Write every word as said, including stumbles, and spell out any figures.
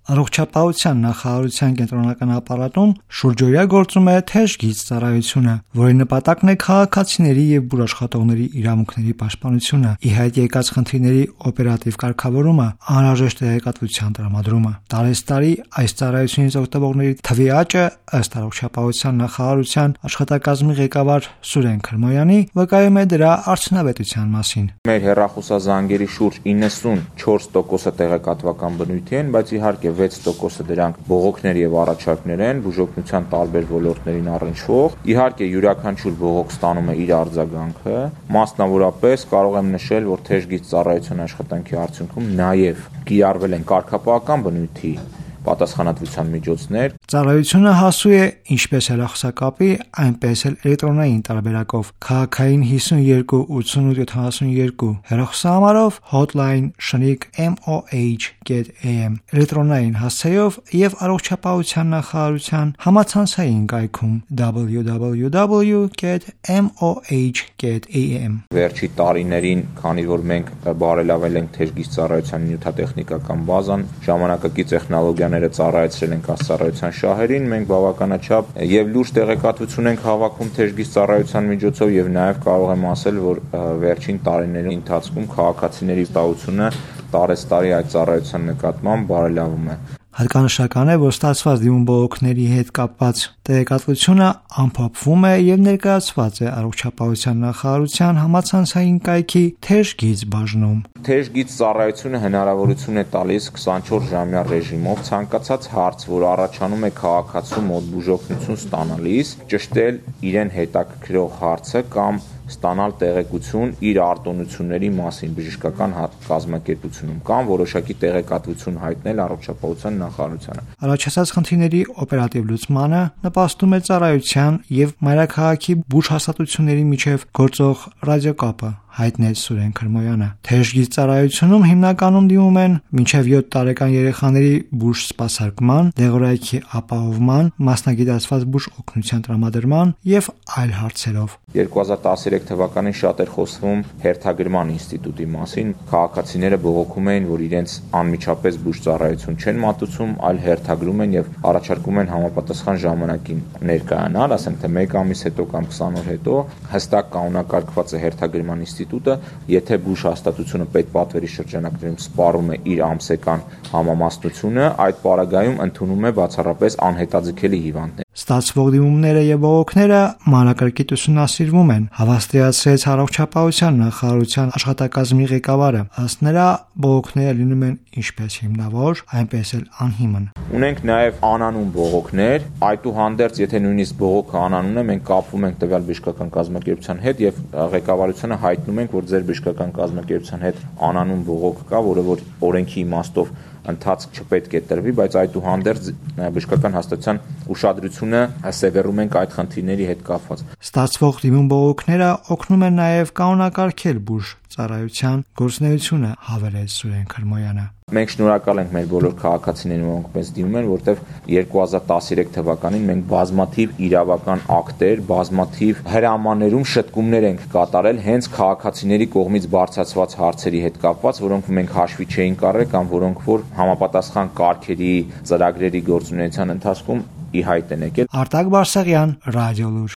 Առողջապահության նախարարության կենտրոնական ապարատում շուրջօրյա գործում է թեժ գիծ ծառայությունը, որի նպատակն է քաղաքացիների եւ բուժաշխատողների իրավունքների պաշտպանությունը, ի հայտ եկած խնդիրների օպերատիվ կարգավորումը, անհրաժեշտ տեղեկատվության տրամադրումը։ Տարեստարի այս ծառայությունից օգտվողների թվի աճը, ըստ առողջապահության նախարարության աշխատակազմի ղեկավար Սուրեն Քրմոյանի, վկայում է դրա արդյունավետության մասին։ Մեր հեռախոսազանգերի շուրջ իննսունչորս տոկոսը տեղեկատվական բնույթի են, բայց իհարկե վեց տոկոսը դրանք բողոքներ եւ առաջարկներ են բուժօգնության տարբեր ոլորտներին առնչվող։ Իհարկե յուրաքանչյուր բողոք ստանում է իր արձագանքը, մասնավորապես կարող եմ նշել, որ թեժ գիծ ծառայության աշխատանքի արդյունքում նաեւ կիրառվել են կարգապահական բնույթի պատասխանատվության միջոցներ։ Ծառայությունը հասու է ինչպես հեռախոսակապի, այնպես էլ էլեկտրոնային տարբերակով քաղաքային հիսուն երկու ութսունութ յոթանասունյոթ հեռախոսահամարով hotline շնիկ M O H get A M էլեկտրոնային հասցեով եւ առողջապահության նախարարության համացանցային կայքում w w w get m o h get a m։ Վերջի տարիներին, քանի որ մենք բարելավել ենք թեժ գիծ ծառայության նյութատեխնիկական բազան, ժամանակակից տեխնոլոգիաները ծառայեցրել ենք հասարակության շահերին, մենք բավականաչափ եւ լուրջ տեղեկատվություն ենք հավաքում թեժ գիծ ծառայության միջոցով եւ նաեւ կարող եմ ասել, որ վերջին տարիների ընթացքում քաղաքացիների վստահությունը տարեստարի այդ ծառայության նկատմամբ բարելավում է։ Հատկանշական է, որ ստացված դիմում բողոքների հետ կապված տեղեկատվությունը ամփոփվում է եւ ներկայացված է առողջապահության նախարարության համացանցային կայքի թեժ գիծ բաժնում։ Թեժ գիծ ծառայությունը հնարավորություն է տալիս քսանչորս ժամյա ռեժիմով ցանկացած հարց, որ առաջանում է քաղաքացու մոտ բուժօգնություն ստանալիս, ճշտել իրեն հետաքրքրող հարցը կամ ստանալ տեղեկություն իր արտոնությունների մասին բժշկական կազմակերպությունում կամ որոշակի տեղեկատվություն հայտնել առողջապահության նախարարությանը։ Առաջացած խնդիրների օպերատիվ լուծմանը նպաստում է ծառայության եւ մայրաքաղաքի բուժհաստատությունների միջև գործող ռադիոկապը, հայտնեց Սուրեն Քրմոյանը։ Թեժ գիծ ծառայությունում հիմնականում դիմում են մինչև յոթ տարեկան երեխաների բուժ սպասարկման, դեղորայքի ապահովման, մասնագիտացված բուժ օգնության տրամադրման եւ այլ հարցերով։ երկու հազար տասներեք թվականին շատ էր խոսվում հերթագրման ինստիտուտի մասին։ Քաղաքացիները բողոքում էին, որ իրենց անմիջապես բուժ ծառայություն չեն մատուցում, այլ հերթագրում են եւ առաջարկում են համապատասխան ժամանակին ներկայանալ, ասենք թե մեկ ամիս հետո կամ քսան օր հետո, հստակ կանոնակարգված է հերթագրման ինստիտուտը, եթե բուժ հաստատությունը պետպատվերի շրջանակներում սպառում է իր ամսական համամասնությունը, այդ պարագայում ընդունում է բացառապես անհետաձգելի հիվանդներ։ Ստացվող դիմումները եւ բողոքները մանրակրկիտ ուսումնասիրվում են, հավաստիացրեց առողջապահության նախարարության աշխատակազմի ղեկավարը։ Ըստ նրա, բողոքները լինում են ինչպես հիմնավոր, այնպես էլ անհիմն։ Ունենք նաեւ անանուն բողոքներ, այդուհանդերձ, եթե նույնիսկ բողոքը անանուն է, մենք կապվում ենք տվյալ բժշկական կազմակերպության հետ եւ ղեկավարությունը հայտնում ենք, որ ձեր բժշկական կազմակերպության հետ անանուն բողոք կա, որը որ օրենքի իմաստով ընթացք չպետք է տրվի, բայց այդուհանդերձ բժշկական հաստատության ուշադրությունը սևեռում ենք այդ խնդիրների հետ կապված։ Ստացվող դիմում բողոքները օգնում են նաև կանոնակարգել բուժ ծառայության գործունեությունը, հավելեց Սուրեն Քրմոյանը։ Մենք շնորհակալ ենք մեր բոլոր քաղաքացիներին, որոնք մեզ դիմում են, որտեղ երկու հազար տասներեք թվականին մենք բազմաթիվ իրավական ակտեր, բազմաթիվ հրամաներում շտկումներ ենք կատարել հենց քաղաքացիների կողմից բարձրացված հարցերի հետ կապված, որոնք մենք հաշվի չէինք առել կամ որոնք որ համապատասխան կարգերի, ծրագրերի գործունեության ընթացքում ի հայտ են եկել։ Արտակ Բարսեղյան, Ռադիոլուր։